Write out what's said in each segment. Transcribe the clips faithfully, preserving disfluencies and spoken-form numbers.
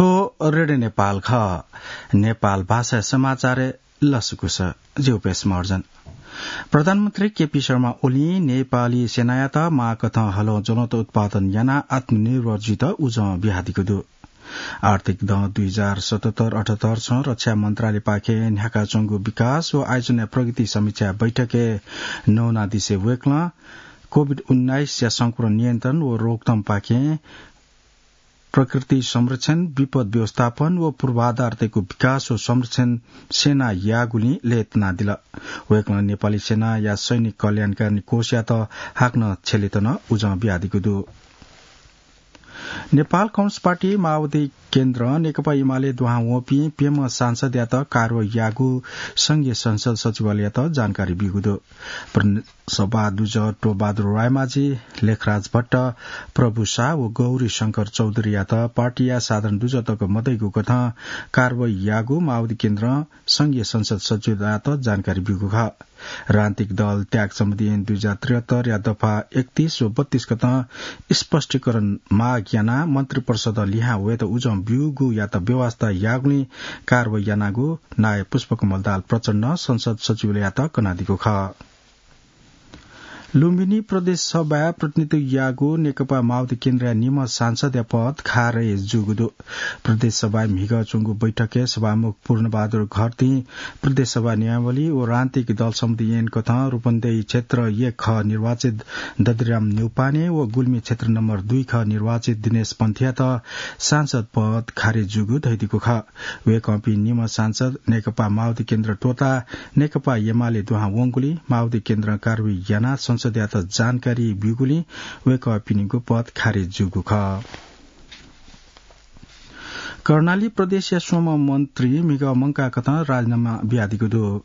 थ्व रेडियो नेपाल खः। नेपाल भाषा समाचार लसकुस। ज्यू पेश महर्जन। प्रधानमन्त्री केपी शर्मा ओलीं नेपाली सेनायात माःकथं हलं ज्वलंत उत्पादन यानाः आत्मनिर्भर जुइत उजं बियादीगु दु। आर्थिक दँ दुई हजार सतहत्तर अठहत्तर स रक्षा मन्त्रालयपाखें न्ह्याकाच्वंगु विकास व आयोजनाया प्रगति समीक्षा बैठकय् नवानादिसे वय्कलं कोभिड उन्नाइसया संक्रमण नियन्त्रण व रोकथमपाखें प्रकृति संरक्षण, विपद व्यवस्थापन व पूर्वाधार तयेगु विकास व संरक्षण सेनां याःगुलिं लय्तानादिल। वय्कलं नेपाली सेनाया सैनिक कल्याणकारी कोषयात हाकनं छ्यलेत नं उजं बियादीगु दु। नेपाल कम्युनिस्ट पार्टी माओवादी केन्द्रं नेकपा एमाले दुहां वंपिं प्यम्ह सांसदयात कारवाही याःगु संघीय संसद सचिवालययात जानकारी ब्यूगु दु। प्रदेश सभा दुजः टोपबहादुर रायमाझी, लेखराज भट्ट, प्रभु शाह व गौरी शंकर चौधरीयात पार्टीया साधारण दुजः तक मदइगु कथं कारवाही याःगु माओवादी केन्द्रं संघीय संसद सचिवालययात जानकारी ब्यूगु खः। राजनीतिक दल त्याग सम्बन्धी ऐन दुई हजार त्रिहत्तरया दफा एकतीस व बत्तीस कथं स्पष्टीकरण माग यानाः मन्त्रिपरिषदं लिहां वयेत उजं ब्यूगुयात बेवास्ता याःगुलिं कारवाही यानागु नायः पुष्पकमल दाहाल प्रचण्डं संसद सचिवालययात कनादीगु खः। लुम्बिनी प्रदेश सभाय् प्रतिनिधित्व याःगु नेकपा माओवादी केन्द्रया निम्ह सांसदया पद खारेज जूगु दु। प्रदेश सभाय् म्हिगः च्वंगु बैठकय् सभामुख पूर्णबहादुर घरतीं प्रदेश सभा नियमावली व राजनीतिक दल सम्बन्धी ऐन कथं रूपन्देही क्षेत्र एक ख निर्वाचित दधिराम न्यौपाने व गुल्मी क्षेत्र नम्बर दुई ख निर्वाचित दिनेश पन्थीयात सांसद पद खारेज जूगु धयादीगु खः। वय्कःपिं निम्ह सांसद नेकपा माओवादी केन्द्र त्वःताः नेकपा एमाले दुहां वंगुलिं माओवादी केन्द्रं कारवाही यानाः संसदयात जानकारी ब्यूगुलिं वय्कःपिनिगु पद खारेज जूगु खः। कर्णाली प्रदेशया स्वम्ह मन्त्री म्हिगः मंकाः कथं राजीनामा बियादीगु दु।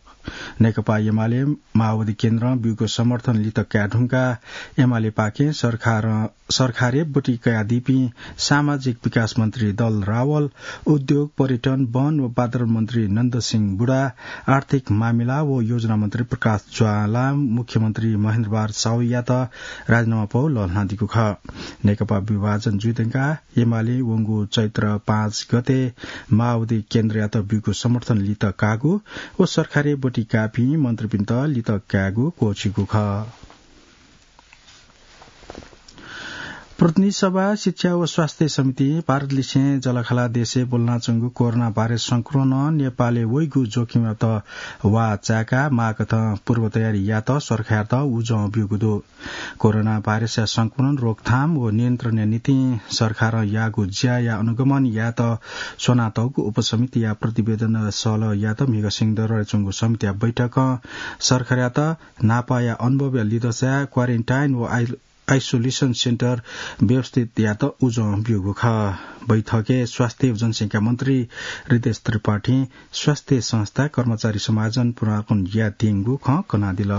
नेकपा एमाले माओवादी केन्द्रं ब्यूगु समर्थन लित काये धुंकाः एमालेपाखें सरकारं सरकारय् ब्वति कयादीपिं सामाजिक विकास मन्त्री दल रावल, उद्योग, पर्यटन, वन व वातावरण मन्त्री नन्द सिंह बुढा, आर्थिक मामिला व योजना मन्त्री प्रकाश ज्वालां मुख्यमन्त्री महेन्द्रबहादुर साहुयात राजीनामा पौ लःल्हानादीगु खः। नेकपा विभाजन जुइधुंकाः एमाले वंगु चैत्र पाँच गते माओवादी केन्द्रयात ब्यूगु समर्थन लित काःगु व सरकारय् ब्वति काःपिं मन्त्रीपिन्त लित कायेगु क्वःछिगु खः। प्रतिनिधि सभा, शिक्षा व स्वास्थ्य समितिं भारतलिसें जःलाखःला देशय् ब्वलनाच्वंगु कोरोना भाइरस संक्रमणं नेपालय् वइगु जोखिमयात वाः चाय्काः माःकथं पूर्व तयारी यायेत सरकारयात उजं ब्यूगु दु। कोरोना भाइरसया संक्रमण रोकथाम व नियन्त्रणया निंतिं सरकारं याःगु ज्याया अनुगमन यायेत स्वनातःगु उपसमितिया प्रतिवेदन सहलह यायेत म्हिगः सिंहदरबारय् च्वंगु समितिया बैठकं सरकारयात न्हापाया अनुभवया लिधंसाय् quarantine व आइ-, isolation center व्यवस्थित यायेत उजं ब्यूगु खः। बैठकय् स्वास्थ्य व जनसंख्या मन्त्री हृदेश त्रिपाठीं स्वास्थ्य संस्था, कर्मचारी समायोजन पुनरावलोकन यायेत्यंगु खँ कनादिल।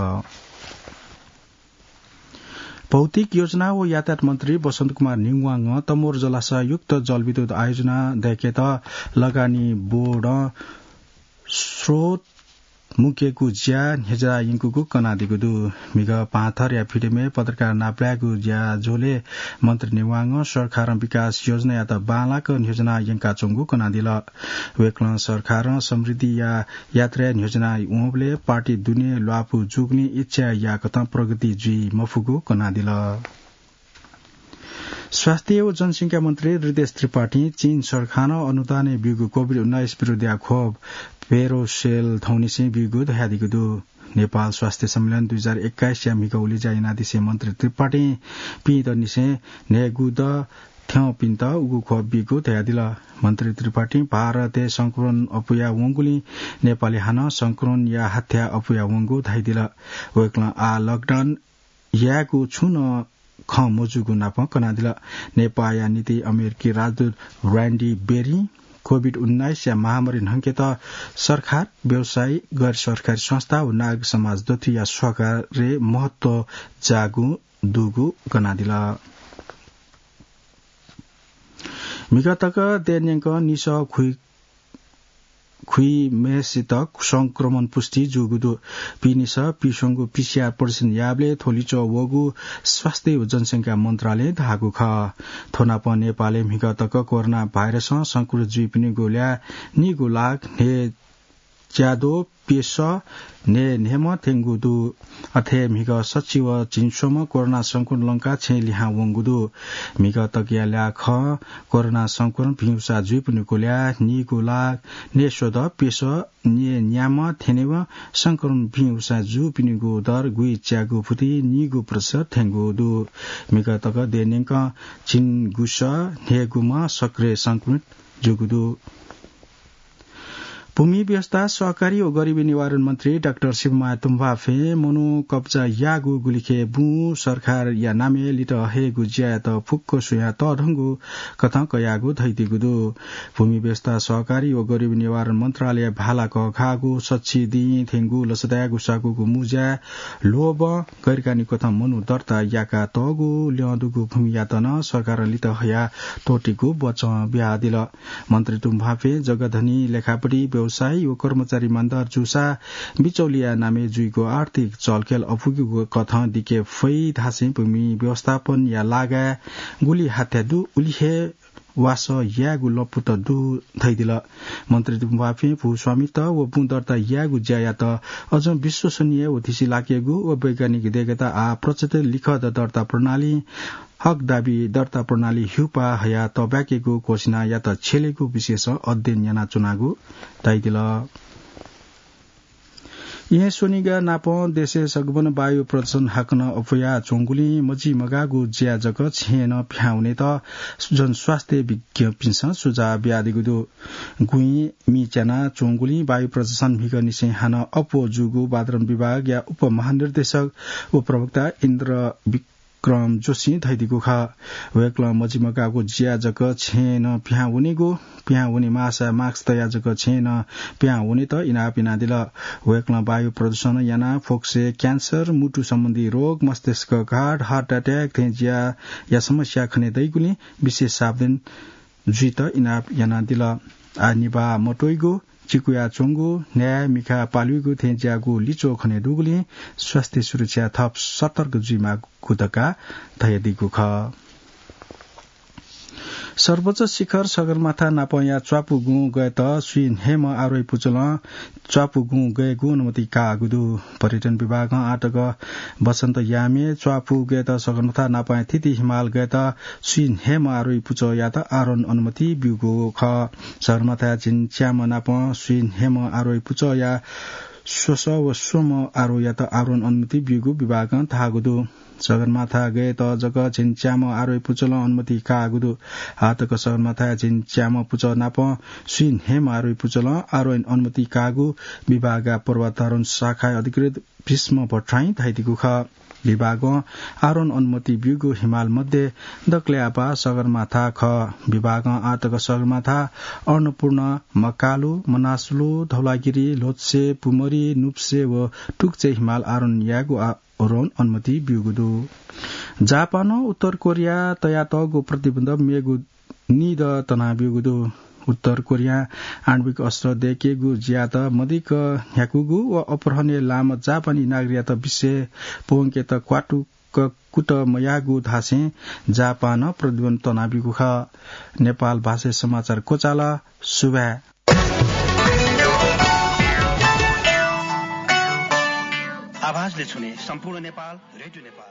भौतिक योजना व यातायात मन्त्री बसन्त कुमार निङवाङं तमोर जलाशययुक्त जलविद्युत आयोजना दय्केत लगानी बोर्डं स्रोत मुंकेगु ज्या न्ह्यज्याः यंकूगु कनादीगु दु। म्हिगः पाहांथरया Freedom-य् पत्रकार नापलायेगु ज्याझ्वलय् मन्त्री निङवाङं सरकारं विकास योजनायात बांलाक न्ह्यज्याः यंकाच्वंगु कनादिल। वय्कलं सरकारं समृद्धिया यात्राय् न्ह्यज्याः वंबलय् पार्टी दुने ल्वापु जूगुलिं इच्छा याःकथं प्रगति जुइ मफुगु कनादिल। स्वास्थ्य व जनसंख्या मन्त्री हृदेश त्रिपाठीं चीन सरकारं अनुदानय् ब्यूगु कोभिड उन्नाइस विरुद्धया खोप Verocell थौंनिसें ब्यूगु धयादीगु दु। नेपाल स्वास्थ्य सम्मेलन दुई हजार एक्काइसया म्हिगः उलेज्या यानादिसें मन्त्री त्रिपाठीं पिदँनिसें न्हय्गू दँ थ्यंपिन्त उगु खोप ब्यूगु धयादिल। मन्त्री त्रिपाठीं भारतय् संक्रमण अप्वया वंगुलिं नेपालय् हानं संक्रमणया हथ्याः अप्वया वंगु धयादिल। वय्कलं आः lockdown यायेगु छुं नं खँ मजूगु नापं कनादिल। नेपाःया निंतिं अमेरिकी राजदूत Randy Berry-ं कोभिड उन्नाइसया महामारी न्हंकेत सरकार, व्यवसायी, गैर सरकारी संस्था व नागरिक समाज दथुइया सहकार्य महत्व जाःगु दुगु कनादिल। म्हिगः तक देय् न्यंकं निसः खुइ खुइम्हेसित संक्रमण पुष्टि जूगु दु। पिनिस पिस्वंगु पीसीआर परीक्षण याःबलय् थ्व लिच्वः वःगु स्वास्थ्य व जनसंख्या मन्त्रालयं धाःगु खः। थ्व नाप नेपालय् म्हिगः तक कोरोना भाइरसं संक्रमित जुइपिनिगु ल्याः नीगू लाख न्हय्च्याद्वः प्यसः न्हय्न्हय्म्ह थ्यंगु दु। अथे म्हिगः सच्छि व झिंस्वम्ह कोरोना संक्रमण लंकाः छेँय् लिहां वंगु दु। म्हिगः तकया ल्याः खः। कोरोना संक्रमण भिं उसाः जुइपिनिगु ल्याः नीगू लाख न्हय्स्वदँ प्यसः न्हय्न्याम्ह थ्यनेवं संक्रमण भिं उसाः जूपिनिगु दर गुइच्यागू फुति नीगू प्रतिशत थ्यंगु दु। म्हिगः तक देय् न्यंकं झिंगुसः न्हय्गुम्ह सक्रिय संक्रमित जूगु दु। भूमि व्यवस्था, सहकारी व गरिबी निवारण मन्त्री डाक्टर शिवमाया तुम्फाफें मनू कब्जा याःगु गुलिखे बुँ सरकारया नामय् लित हयेगु ज्यायात फुक्क स्वयाः तःधंगु कथं कयागु धयादीगु दु। भूमि व्यवस्था, सहकारी व गरिबी निवारण मन्त्रालय भाला कःघाःगु सच्छि दिं थ्यंगु लसताय् गुसागुगु मुँज्याय् ल्वःबं गैरकानुनी कथं मनू दर्ता याका तःगु ल्यं दुगु भूमियात नं सरकारं लित हया त्वःतेगु बचं बियादिल। मन्त्री तुम्फाफें जग्गाधनी, लेखापढी, व्यवसायी व कर्मचारी इमान्दार जूसा बिचौलिया नामय् जुइगु आर्थिक चलखेल अपुगु कथं दिके फइ धासें भूमि व्यवस्थापनया लागाय् गुलि हाथ्या दु उलि हे वासः यायेगु लँपुत दु धयादिल। मन्त्री तुम्फाफें भूस्वामित्व व बुँ दर्ता यायेगु ज्यायात अझ विश्वसनीय व धिसिलाकेगु व वैज्ञानिक देय्‌केत आः प्रचलित लिखत दर्ता प्रणाली, हक दाबी दर्ता प्रणाली ह्युपा हया तःब्याकेगु घोषणायात छ्यलेगु विषयसं अध्ययन यानाच्वनागु धयादिल। येँ स्वनिगः नापं देशय् सगबन वायु प्रदूषण हाकनं अप्वयाच्वंगुलिं मजिमगाःगु ज्या जक छेँय् नं पिहां वनेत जनस्वास्थ्य विज्ञपिन्सं सुझाव बियादीगु दु। गुँइ मि च्यानाच्वंगुलिं वायु प्रदूषण म्हिगःनिसें हानं अप्वः जूगु वातावरण विभागया उपमहानिर्देशक व प्रवक्ता इन्द्र विक्रम जोशीं धयादीगु खः। वय्‌कलं मजिमगाःगु ज्या जक छेँय् नं पिहां वनेगु, पिहां वने माःसा मास्क तयाः जक छेँय् नं पिहां वनेत इनाप यानादिल। वय्‌कलं वायु प्रदूषण यानाः फोक्सय् क्यान्सर, मुटु सम्बन्धी रोग, मस्तिष्कघात, heart attack थें ज्याया समस्या खने दइगुलिं विशेष सावधान जुइत इनाप यानादिल। आः निभाः मत्वइगु, चिकुयाच्वंगु, न्हाय् मिखा पालुइगु थें ज्याःगु लिच्वः खने दुगुलिं स्वास्थ्य सुरक्षा थप सतर्क जुइमाःगु धकाः धयादीगु खः। सर्वोच्च शिखर सगरमाथा नापंया च्वापुगुं गयेत स्वीन्हय्म्ह आरोही पुचलं च्वापुगुं गयेगु अनुमति काःगु दु। पर्यटन विभागं आःतक वसन्त यामय् च्वापु गयेत सगरमाथा नापंया थीथी हिमाल गयेत स्वीन्हय्म्ह आरोही पुचःयात आरोहण अनुमति ब्यूगु खः। सगरमाथाया झिंच्याम्ह नापं स्वीन्हय्म्ह आरोही पुचःया स्वसः व स्वम्ह आरोहीयात आरोहण अनुमति ब्यूगु विभागं धाःगु दु। सगरमाथा गयेत जक झिंच्याम्ह आरोही पुचलं अनुमति काःगु दु। आःतक सगरमाथाया झिंच्याम्ह पुचः नापं स्वीन्हय्म्ह आरोही पुचलं आरोहण अनुमति काःगु विभागया पर्वतारोहण शाखाया अधिकृत भीष्म भट्टराईं धयादीगु खः। विभागं आरोहण अनुमति ब्यूगु हिमाल मध्ये दकलय् आपाः सगरमाथा खः। विभागं आःतक सगरमाथा, अन्नपूर्ण, मकालु, मनासलु, धौलागिरी, ल्होत्से, पुमरी, नुप्से व टुक्चे हिमाल आरोहण यायेगु आ-, आरोहण अनुमति ब्यूगु दु। जापानं उत्तर कोरियाय् तयातःगु प्रतिबन्ध मेगु निदँ तनाब्यूगु दु। उत्तर कोरियां आणविक अस्त्र दय्‌केगु ज्यायात मदिक्क न्ह्याकूगु व अपहरणय् लाःम्ह जापानी नागरिकयात विषय् प्वंकेत क्वातुक कुतः मयाःगु धासें जापानं प्रतिबन्ध तनाब्यूगु खः। नेपाल भाषाय् समाचार क्वचाल। सुभाय्। आवाजले छुने सम्पूर्ण नेपाल, रेडियो नेपाल।